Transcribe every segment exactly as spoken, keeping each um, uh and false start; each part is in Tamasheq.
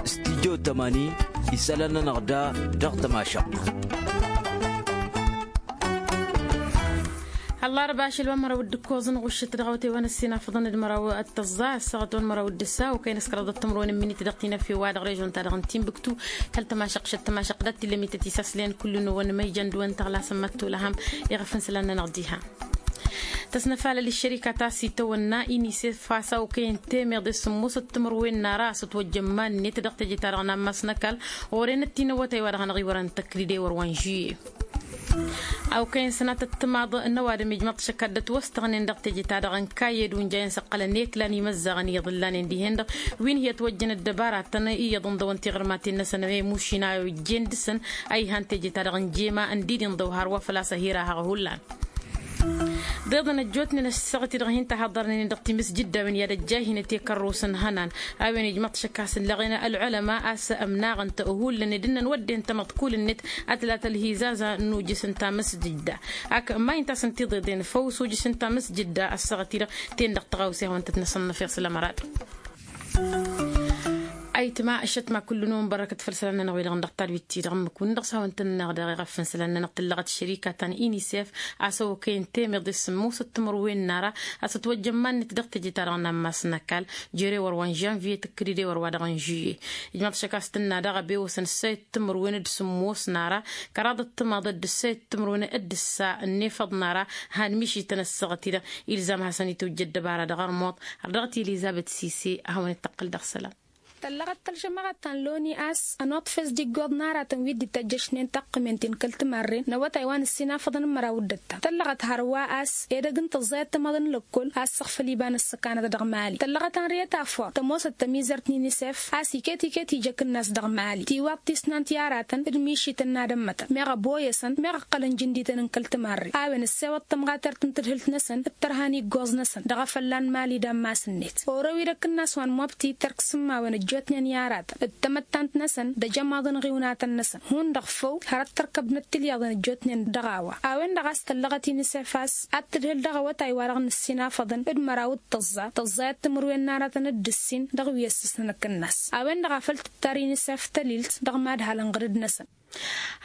Studyo tămani isălan-nănăɣ da dăɣ-tămašăɣt. Ăllarba ašăl wa n-măraw d-ǝkkoẓăn ɣušăt dăɣ-awătay wa n-ăssinafăḍăn d-măraw d-tăẓẓa ăssaɣăt wa n-măraw d-ǝssa okăyăn s-kăraḍăt timǝrwen n-imǝnit dăɣ-tinăfe wa dăɣ-režon-ta-dăɣ n-tinbǝktu. Kăl-tămašăɣt šăt tămašăɣt dat-t-illa ămităt isaslăyăn kull-năwăn ma ijăn d-wăn tăɣlasăn măttolăhăm. Iɣăf n-isălan-nănăɣ diha tăsnăfalăl ăššărikat a-s itawănna inisef a-s okăyăn temeḍe s-sǝmmosăt timǝrwen n-ara a-s ătwăjjăn iman-net dăɣ-teje-ta-dăɣ n-ammas n-ăkall. Ɣur-enăt-t-in awătay wa dăɣ-hanăɣ-iwărăn tăkridewăr wa n-žuye. Okăyăn sănatăt timaḍ n-ăwadǝm ijmăḍ šăkadăt wăstăɣnen dăɣ-teje-ta-dăɣ n-kayyed wi n-jayăn s-ăqqălăn eklan imăzzaɣăn iyyăḍ ǝllanen dihen-dăɣ. Wi n-hi-ătwăjjăn ăddăbaratăn iyyăḍ ǝnḍăwăn tiɣǝrmaten-năsăn ămušin a ojjen dăɣ-săn a ihan teje-ta-dăɣ n-jema ǝndid inḍăw hărwa făl-a-s ăhirahăɣ hullan. Ḍeḍăn ăjjootnen ăssaɣăt-i-dăɣ hin-tăhaḍărnen dăɣ-timǝsjǝdda a-wen i-ad-ăjjayhinăt i-kărrus n-ihănan a-wen ijmăḍ-t šăkk a-s ǝllăɣen ălɣulăma a-s ămnaɣăn-t hullan ed ǝnnăn wădden tamăḍt kull-net. Ad-tǝla tălhizaza n-ujǝs n-tamǝsjǝdda ak ma inta a-s ǝnta iḍeḍen făw s-ujǝs n-tamǝsjǝdda ăssaɣăt-i-dăɣ. Ten-dăɣ tăɣawse a hawăn-tăt-năsănnăf i-asălămărat. Ayǝtma ăššătma kull-năwăn bărăkăt făll-isălan-nănăɣ wi-dăɣ n-dăɣ-tadwit-ti-dăɣ ǝmmǝk wi n-dăɣ s-hawăn-tăn-nănăɣ daɣ-i ɣăf n-isălan-nănăɣ tǝllăɣăt šărika ta n-inisef a-s ăwăkăyăn temeḍe s-sǝmmosăt timǝrwen n-ara a-s ătwăjjăn iman-net dăɣ-teje-ta-dăɣ n-ammas n-ăkall. Jere wăr-wa n-žănviye tǝkkǝdǝde wăr-wa dăɣ-n žuye. Ijmăḍ šăkk a-s tǝnna daɣ ăbewăsăn ǝssayăt timǝrwen d-sǝmmos n-ara kăraḍăt timaḍăt d-ǝssayăt timǝrwen d-ǝssa ănnefăḍ n-ara. Han mišităn ăssaɣăt-i-dăɣ ilzam hasăn-itwǝjja ăddăbara dăɣ-armuḍ har dăɣ-t elizabet sise a hawăn-dd-tăqqǝl dăɣ-isălan. Tăllăɣăt tălžămăɣăt ta n-loni a-s ănoḍfes d-iggoḍ n-aratăn wi dd-itajjăšnen taqqǝmen-tin kăl-timarren n-awătay wa n-ǝssinafăḍăn n-măraw d-ǝttam tăllăɣăt hărwa a-s edăgg n-tăẓẓayăt timaḍăn n-lăkkol a ǝssăɣfăl iba n-ăssăkanăt dăɣ-mali tăllăɣăt ănriyăt afăr tămoosăt tămizărt n-inisef a-s iket-iket ija akǝnnas dăɣ-mali tiwaḍt tisnant i-aratăn d-mišităn n-ad-ămmătăn meɣ ăboyăsăn meɣ ǝqqălăn jǝndităn n-kăl-timarren a-wen ăssewăḍ tămɣatert n-tadhǝlt-năsăn d-tărha n-iggoẓ-năsăn dăɣ-afălla n-mali d-ammas-net orăw-dd akǝnnas wa n-mobti tărk s-ǝmmawen ăjjootnen i-aratăn d-tamăttant-năsăn d-ejămaḍ n-iɣiwnatăn-năsăn hundăɣ făw hărăt tărkăbnăt tilyaḍăn ăjjootnen dăɣ-a-wa a-wen-dăɣ a-s tăllăɣăt inisef a-s ad-tǝdhǝl dăɣ-awătay wa dăɣ-nǝssin afăḍăn d-măraw d-tăẓẓa tăẓẓayăt timǝrwen n-aratăn d-ǝssin dăɣ-wi ăssǝsnăn akǝnnas a-wen-dăɣ a făl tǝttar inisef tălilt dăɣ-mad-hal ǝnɣǝdǝd-năsăn.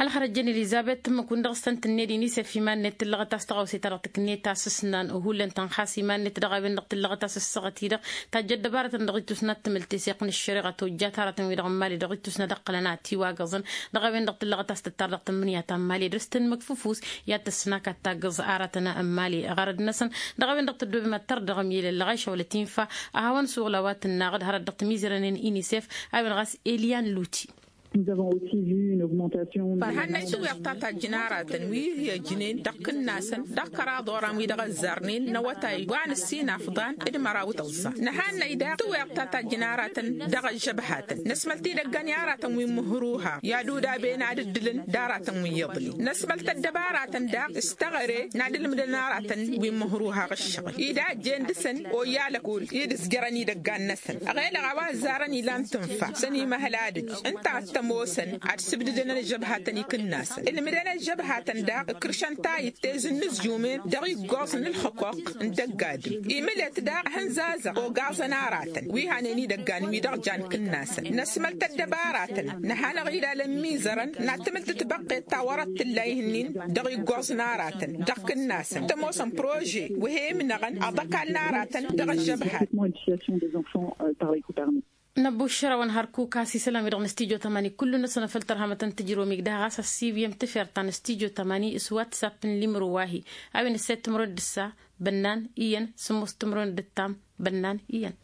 Ălxărăjjăn elizabet tǝmmǝk-wǝn dăɣ-s tăn-tǝnned inisef iman-net tǝllăɣăt a-s tăɣawse-ta-dăɣ tǝknet a-s ǝsnan hullan tănxas iman-net dăɣ-a-wen-dăɣ tǝllăɣăt a-s ǝssaɣăt-i-dăɣ tajjă ăddăbarătăn dăɣ-ittus n-ad-tǝmǝl teseɣt n-ăššăreɣa tojjat aratăn-wi-dăɣ n-mali dăɣ-ittus n-ad-ăqqălăn ad-tiwagăẓăn. Dăɣ-a-wen-dăɣ tǝllăɣăt a-s tǝttar dăɣ-tǝmmǝnǝya ta n-mali dăr-s tǝnmǝk fǝfus i-ad-tăssǝnakad taggăẓ aratăn n-mali ɣărăd-năsăn. Dăɣ-a-wen-dăɣ tăddoobem ad-tărdăɣăm i-lăllăɣ ašăwălăt infa a hawăn-suɣǝl a-wa tǝnnaɣ d-hărăt dăɣ-timizărănen inisef a-wen ɣas elian luti. Nǝhannăy tiweḍ ta tajjǝn aratăn wi hi-ăjnen dăɣ-kǝnnasăn dăɣ-kăraḍ oran wi dăɣ-ăzzarnen n-awătay wa n-ǝssin afḍan d-măraw tăẓẓa. Nǝhannăy daɣ tiweḍ ta tajjǝn aratăn dăɣ-ăžžăbhatăn năsmăl tidăggan i-aratăn wi n-imǝhruha i-ad-udaben ad-ǝddǝlăn d-aratăn wi iyyăḍnen năsmăl tăddăbaratăn daɣ s-teɣăre n-ad-ǝlmǝdăn aratăn wi n-imǝhruha ɣǝššăɣǝl-i d-a ăjjeen dăɣ-săn oyyalăkol i-dd-ǝzjărăn idăggan-năsăn. Ăɣelăɣ a-wa ăzzarăn ilan tǝnfa s-ănimăhăl ad-ǝjj ǝnta ad-t-ămoosăn ad-sǝbdǝdăn ălžăbhatăn ikǝnnasăn ǝlmǝdăn ălžăbhatăn daɣ ǝkrǝšăn tayǝtte zǝnnǝzjumen dăɣ-iggoẓ n-ǝlxǝkoq n-dăgg-adǝm. Imǝlet daɣ hǝnzazăɣ ogaẓăn aratăn wi hanen idăggan wi-dăɣ jan kǝnnasăn năsmăl tăddăbaratăn nǝhanăɣ-dd alămmizărăn n-ad-tǝmǝl tǝtbăqqet ta wărăt tǝlla ihǝnnin dăɣ-iggoẓ n-aratăn dăɣ-kǝnnasăn t-ămoosăn prože wa he-imnăɣăn aḍăkal n-aratăn dăɣ-ăžžăbhat. Năbbušăr a-wen hărkuk a-s isălan-wi-dăɣ n-studyo tămani kullu-năsăn făll-tărhamăt n-tǝjromig daɣ ɣas ăssiiwǝyăm tǝfert ta n-studyo tămani s-whatsapp n-limro wa-hi a-wen ǝssayăt timǝrwen d-ǝssa bănnan iyyăn sǝmmos timǝrwen d-ǝttam bănnan iyyăn.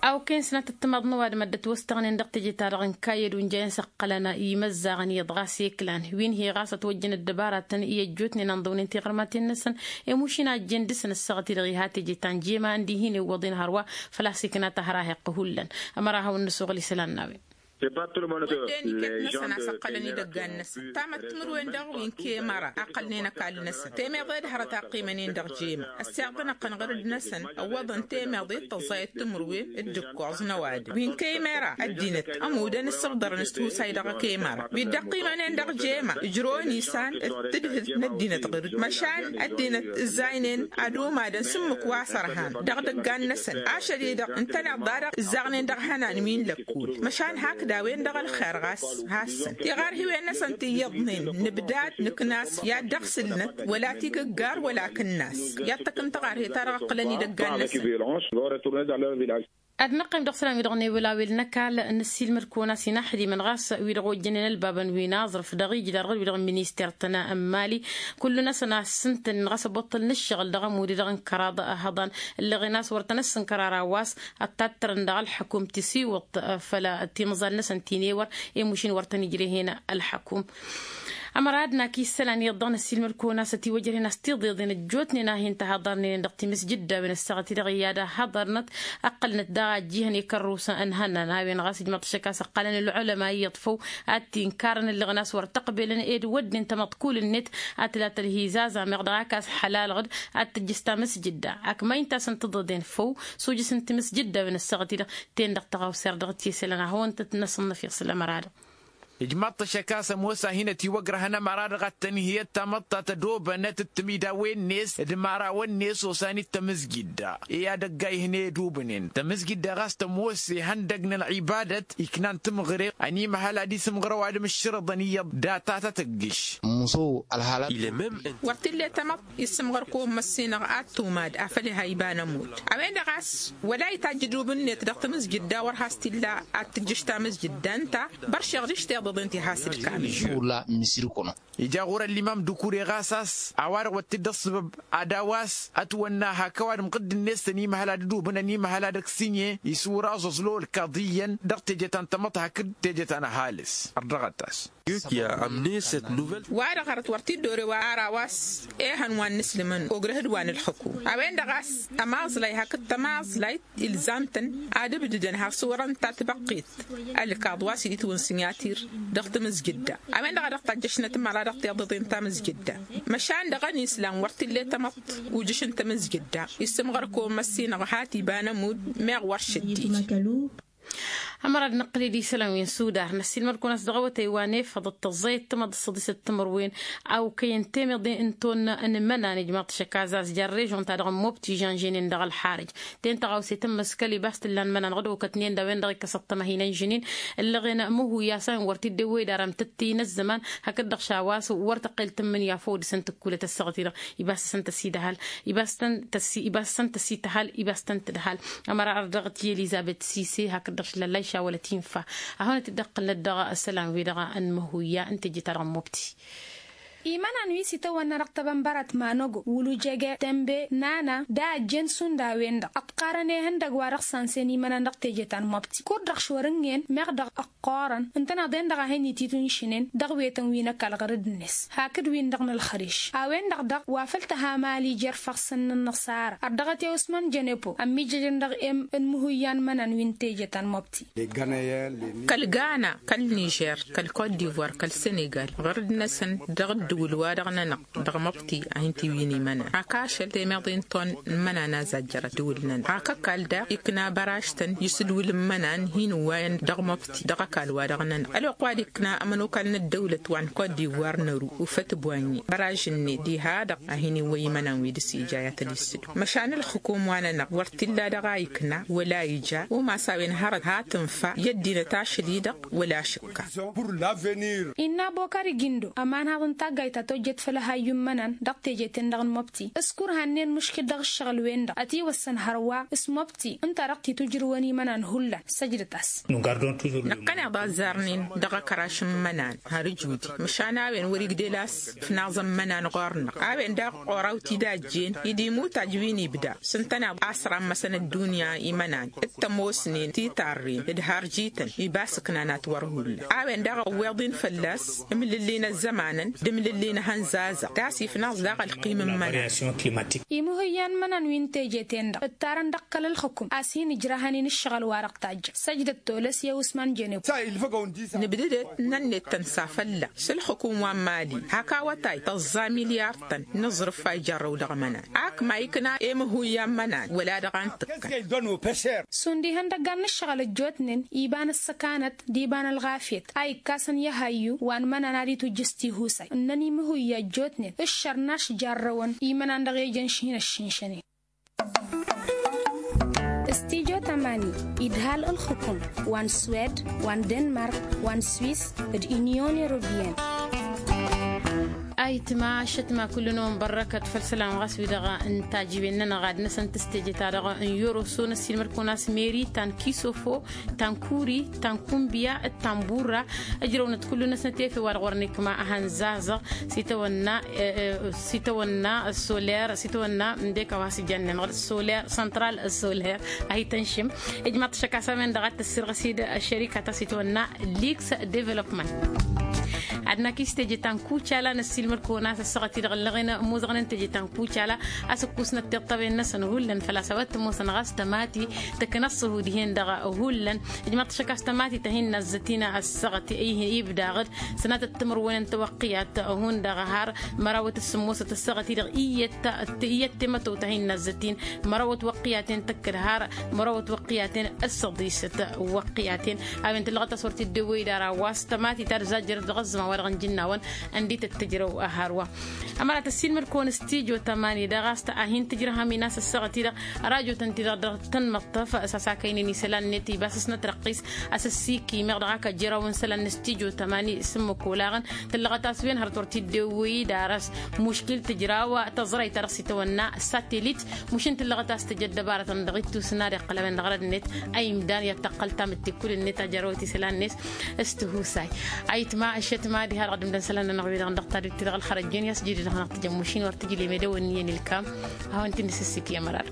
Awken sănatăt timaḍ n-ăwadǝm ad-dd-ătwăstăɣnen dăɣ-teje-ta-dăɣ n-kayyăd wi n-jayăn s-ăqqălăn imăzzaɣăn iyyăḍ ɣas eklan wi n-hi ɣas ătwăjjăn ăddăbaratăn i-ăjjootnen a ǝnḍăwnen tiɣărmaten-năsăn. Emušin a ăjjeen dăr-săn ǝssaɣăt-i-dăɣ iha teje ta n-jema ǝndihin iwwăḍen hărwa făl-a-s ikna tahăraheqq hullan. Ămăra hawăn-nǝsuɣǝl isălan n-a-wen. Wădden iket-năsăn a-s ǝqqălăn idăggan-năsăn tamăttǝmǝrwen dăɣ-wi n-kemăra ăqqălnen ăkall-năsăn temeḍe d-hărăt a qqimănen dăɣ-jema. Ăssiɣtăn-ăqqăn ɣărăd-năsăn ăwwăḍăn temeḍe d-tăẓẓayăt timǝrwen d-ǝkkoẓ n-ăwadǝm wi n-kemăra ăddinăt ămudăn ǝssǝbḍărăn s-tihusay dăɣ-kemăra wi dd-ăqqimănen dăɣ-jema. Ǝjrăwăn isan d-tǝdhǝlt n-ăddinăt ɣǝr-dd măšan ăddinăt ǝzzaynen ad-umadăn s-ǝmmǝk wa s-ărhan dăɣ-idăggan-năsăn ašăl-i-dăɣ ǝntăneḍ-da-dăɣ ǝzzaɣnen dăɣ-ihănan wi n-lăkkul. Măšan hakd a-wen-dăɣ ălxer ɣas hassăn tiɣarhiwen-năsăn ti iyyăḍnen nǝbdad nǝknas i-ad-dăɣ-sǝlnăt wăla tigǝggar wăla akǝnnas. I-ad-tăkk n-taɣarhet-ta-dăɣ ǝqqǝlăn idăggan-năsăn. Ad-năqqim dăɣ-isălan-wi-dăɣ n-ewăl-awel n-ăkall năssiilmăd-kăwăn-as inaxdimăn ɣas wi-dăɣ ojjănen ălbabăn wi n-aẓrǝf dăɣ-ija d-arɣăd wi-dăɣ n-minister-tăn n-mali. Kullu-năsăn a ǝssǝntănen ɣas ăboṭṭăl n-ǝššăɣǝl dăɣ-ămud-i-dăɣ n-kăraḍ ehăḍan ǝlleɣen a-s wăr tăn-ăssǝnkăr ara wa s-ăttattrăn dăɣ-ălḥăkum tisiwǝḍt făll-a timẓal-năsăn ti n-ewăr. I-mušin wăr tăn-ijrehen ălḥăkum. Ămăra ad-nak isălan iyyăḍ dăɣ-năssiilmăd-kăwăn-as ătiwăjrăhen a-s tiḍeḍen ăjjootnen a hin-tăhaḍarnen dăɣ-timǝsjǝddawen ăssaɣăt-i-dăɣ i-ad-ăhaḍarnăt ăqqălnăt daɣ a ǝjjǝhăn i-kărrusăn n-ihănnan a-wen ɣas ǝjmăḍ-t ašăk a-s ǝqqălăn ălɣulăma iyyăḍ făw ad-t-inkărăn ǝlleɣăn a-s wăr t-ăqbelăn ed wădden tamăḍkulǝn-net ad-tǝla tălhizaz a meɣ dăɣ-ak a-s ăḥlalăɣ-dd ad-tǝjjǝs tamǝsjǝdda. Ak ma inta a-s ǝntǝḍeḍen făw s-ujǝs n-timǝsjǝddawen ăssaɣăt-i-dăɣ ten-dăɣ tăɣawser dăɣ-t i-isălan a hawăn-tăt-năsǝnnăf i-asǝl ămăra-dăɣ. Ijmaḍ-t ašăk a-s ămoos a hin-ătiwăgrăhăn ămăra-dăɣ ad-tăn-hi-ăttamăḍt ta tădobănăt d-timidawen-net d-imărawăn-net osan-i d-tamǝzgidda. I-ad-ăgg a ihăn edubnen tamǝzgidda ɣas tămoos ihăndăg n-ălɣibadăt iknan timɣre ănimăhăl ad-isǝmɣăr ăwadǝm ǝššărăḍăn iyyăḍ data ta tăggǝš. Wăr t-illa i-tamăḍt issǝmɣăr kăwăn-măssinăɣ ad-tumad afăl iha iba n-ămudd. A-wen-dăɣ a-s wăla itajj idub-net dăɣ-tamǝzjǝdda wăr has-t-illa ad-tǝjjǝš tamǝzjǝdda ǝnta. Băršeɣ d-ǝšteḍăḍen ti has-dd-kamǝl. Ija ɣur-ăllimam d-ukure ɣas a-s a-wa-dăɣ wăr t-dd-ăṣṣăbăb ad-a-wa s-ătwănna hak ăwadǝm ɣǝdd-net ănimăhăl ad-dd-ubǝn ănimăhăl ad-ăksinye isura aẓẓăẓlo ǝlkaḍ iyyăn dăɣ-teje ta n-tamăḍt hakd teje ta n-ăhalǝs. Ărdăɣăt-as. Wa-dăɣ hărăt wăr t-dd-ore wa ara wa s-ehăn wa n-inǝslǝmăn ogrăh d-wa n-ǝlxǝkum. A-wen-dăɣ a-s ămaẓlay hakd tămaẓlayt ilzam-tăn ad-ǝbdǝdăn har s-wărăn tatbăqqit ălkaḍ wa s-dd-itwǝn s-inyatir dăɣ-tamǝzjǝdda. A-wen-dăɣ a dăɣ-tajjăšnăt ămăra dăɣ-tiḍeḍen tamǝzjǝdda. Măšan dăɣ-ănislam wăr t-illa i-tamăḍt ujǝš n-tamǝzjǝdda issǝmɣăr kăwăn-măssinăɣ hat iba n-ămudd meɣ wăr šăddij. Ămăra d-năqqǝl-dd isălan wi n-sudar năssiilmăd-kăwăn a-s dăɣ-awătay wa n-efăḍăt tăẓẓayăt tamăḍt s-ăḍisăt timǝrwen a okăyăn temeḍe n-tonna n-imănan ijmaḍ-t ašăk a-s jarrežon-ta-dăɣ n-mobti žănženen dăɣ-ălxarǝj. Ten tăɣawse tǝmmǝskăl ibas t-ǝllan imănan ɣǝd okătnen d-a-wen-dăɣ ikkăsăt tămăhina n-žǝnin ǝllăɣen măhuy a-s a-wen wăr t-dd-ewwey d-arăm tǝttǝy n-ăzzăman. Hakd-dăɣ šawa a-s wăr tăqqel tǝmmǝnǝya făw dăɣ-săn tǝkkulăt ăssaɣăt-i-dăɣ ibas săn tăsidăhăl ibas săn tăsi ibas săn tăsităhăl ibas tăn-tǝdhăl. Ămăra ărdăɣăt i-elizăbet sise hakd-dăɣ šilăllay šawălăt infa. Ad-hawăn-t-dd-ăqqǝlnăt dăɣ-isălan-wi-dăɣ n-măhuya n-teje-ta-dăɣ n-mobti. Imănan wi s-itawănna dăɣ-tebănbărăt manogo wăl' ujege tembe nana d-a ăjjeen šund a-wen-dăɣ ăṭṭarăn ihăndăg wa dăɣ-sansen imănan dăɣ-teje ta n-mobti kud-dăɣ šorǝngen meɣ dăɣ-ăqqoorăn ǝntăneḍ-en-dăɣ a hin-ititwǝnšǝnen dăɣ-wetăn wi n-ăkall ɣărăd-net hakd-win-dăɣ n-ălxărǝš. A-wen-dăɣ daɣ wa făl tăha mali jer-ifassăn n-ănnăṣara ărdăɣăt i-usman jănepo ămmiijăjăn dăɣ-e-m n-imǝhǝyyan imănan wi n-teje ta n-mobti. Kăl-gana kăl-nižer kăl-kot divoir kăl-senegal ɣărăd-năsăn dăɣ-ǝddǝwǝl-wa-dăɣ-nănăɣ dăɣ-mobti a hin-t-iwǝyăn imănan hak ašăl temeḍe n-ton n-imănan a zajjărăt ǝddǝwǝl-nănăɣ hak ăkall daɣ ikna băražtăn isǝdwǝl n-imănan hin-ǝwwayăn dăɣ-mobti dăɣ-ăkall-wa-dăɣ-nănăɣ ălwăqq wa dd-ikna ămănokal n-ăddăwlăt wa n-kot divoir n-ăru ufăt boanye bărăžăn-net diha-dăɣ a hin-iwwăy imănan wi dăɣ-s ija i-ad-tăn-issǝdwǝl măšan ǝlxǝkum wa nănăɣ wăr t-illa dăɣ-a ikna wăla ija umas a-wen hărăt ha tǝnfa i-ăddinăt ašăl-i-dăɣ wăla ašǝkka. Innă bokări gindo ămanhaḍ n-taggayt ta tojjăt făll-ehayyu n-imănan dăɣ-teje-ten-dăɣ n-mobti s-kurhannen muškǝl dăɣ-ǝššăɣǝl-wen-dăɣ ătiwăssăn hărwa s-mobti ǝnta dăɣ-titujrǝwăn imănan hullan săjdăt-as. Năqqăneḍ azzarnen dăɣ-akăraš n-imănan har ǝjudi măšan a-wen wăr-igdel a-s ǝfnaẓăn imănan ɣur-năɣ a-wen daɣ ɣur-awt idajjen-i d-imutaj wi n-ibda s-ǝntăneḍ a-s rammăsăn ăddunya imănan d-tămoosnen titarren d-harjităn ibas ǝknan ad-t-wăr hullan a-wen daɣ ăwweḍ-in fălla-s ǝmlǝllin ăzzămanăn. ǝllen ehăn zazăɣ d-asif n-aẓ daɣ ălqim n-imănan. Imǝhǝyyan n-imănan wi n-teje-ten-dăɣ ǝttarăn dăɣ-kăl-ǝlxǝkǝm a-s hin-ǝjrahăn-in ǝššăɣǝl-wa-dăɣ tajjăn săjdăt tolăs i-usman jeneb. Nǝbdǝdăt nănnet tăn-safălla s-ǝlxǝkǝm wa n-mali hak awătay tăẓẓa milyar-tăn n-aẓrǝf a ijarrăw dăɣ-imănan. Ak ma ikna i-imǝhuyya n-imănan wăla dăɣ-a n-tǝkkăn. Šund ihăndăggan n-ǝššăɣǝl ăjjootnen iba n-ǝssăkanăt d-iba n-ălɣafyăt a ikkasăn i-ehayyu wa n-imănan ad-itwǝjjǝs tihusay ǝnnăn imǝhuyya ăjjootnen ǝššărnaš jarrăwăn imănan dăɣ-ejăn šin ăššinšănen. Studyo tamani idhal ǝlxǝkǝm wa n-swed wa n-denmark wa n-swis d-unyon europeyăn. Ayǝtma ašătma kull-năwăn bărrăkăt făll-isălan ɣas wi-dăɣ n-tajǝben-nănăɣ ad-năsăn tǝstejăt-ta-dăɣ n-yoroso n-ăssiilmăd-kăwăn a-s meri ta n-kisofo ta n-kuri ta n-kunbiya d-ta n-burra. Ǝjrăwnăt kull-năsnăt efew wa dăɣ-wăren ikma ahănzazăɣ s-itawănna s-itawănna soler s-itawănna ǝndek a-wa s-ijăn-nănăɣ soler săntral soler. A hi-tănšǝm ijmaḍ-t ašăk a-s a-wen-dăɣ a t-ăssirɣăs-dd ăššărikat a-s itwănna liks development. Ad-năkk i-s teje ta n-kucala n-ăssiilmăd-kăwăn a-s ăssaɣăt-i-dăɣ ǝllăɣen imuzăɣnen teje ta n-kucala a-s ǝkkusnăt tiṭṭăwen-năsăn hullan făl-a-s a-wa t-ămoosăn ɣas tămati tǝknăs ǝhud-hen-dăɣ hullan. Ijmaḍ-t ašăk a-s tămati ta hin-nazzăt-in ăssaɣăt i-ibdaɣ-dd sănatăt timǝrwen n-tawăqqiyat hundăɣ har mărawăt s-sǝmmosăt ăssaɣăt-i-dăɣ iyyăt temătăwt a hin-nazzăt-in mărawăt wăqqiyaten tăkkăd har mărawăt wăqqiyaten s-săḍisăt wăqqiyaten. A-wen tǝllăɣăt a-s wăr t-dd-ewwăy d-ara wa s-tămati ta d-zajjărăt dăɣ-ăzzăman wa dăɣ-nǝjǝnna-wăn ăndităt tǝjrăw hărwa. Ămăra tăssiilmăd-kăwăn stujo tămani dăɣ-a-s a hin-tǝjrăhăm inas ăssaɣăt-i-dăɣ rajotăn-ti-dăɣ dăɣ-tăn-măṭṭăf s-asakăynen isălan-net ibas s-nătrăqqis a-s ăssikimeɣ dăɣ-ak ăjjărawăn isălan n-stujo tămani s-ǝmmǝk olaɣăn. Tǝllăɣăt a-s wen hărăt wăr t-dd-ewwăy d-aras muškil tǝjraw tăẓrayt ta dăɣ-s itawănna satelit. Mušin tǝllăɣăt a-s tăj ăddăbarătăn dăɣ-ittus n-ad-iqqăl a-wen dăɣ-răd-net a imdan i-ad-tăqqăl tamǝtte-kul-net a jărrăwăt isălan-net s-tihusay. Ayǝtma ăššătma diha-dăɣ d-imdăn isălan-nănăɣ wi-dăɣ n-dăɣ-tadut-ti-dăɣ ălxărăjjen i-a-s jidǝd-năɣ n-ad-tǝjjăn mušin wăr tǝjlem edăwănniyăn ilkam. A hawăn-t-in-dd-sǝssǝk i-ămăra-dăɣ.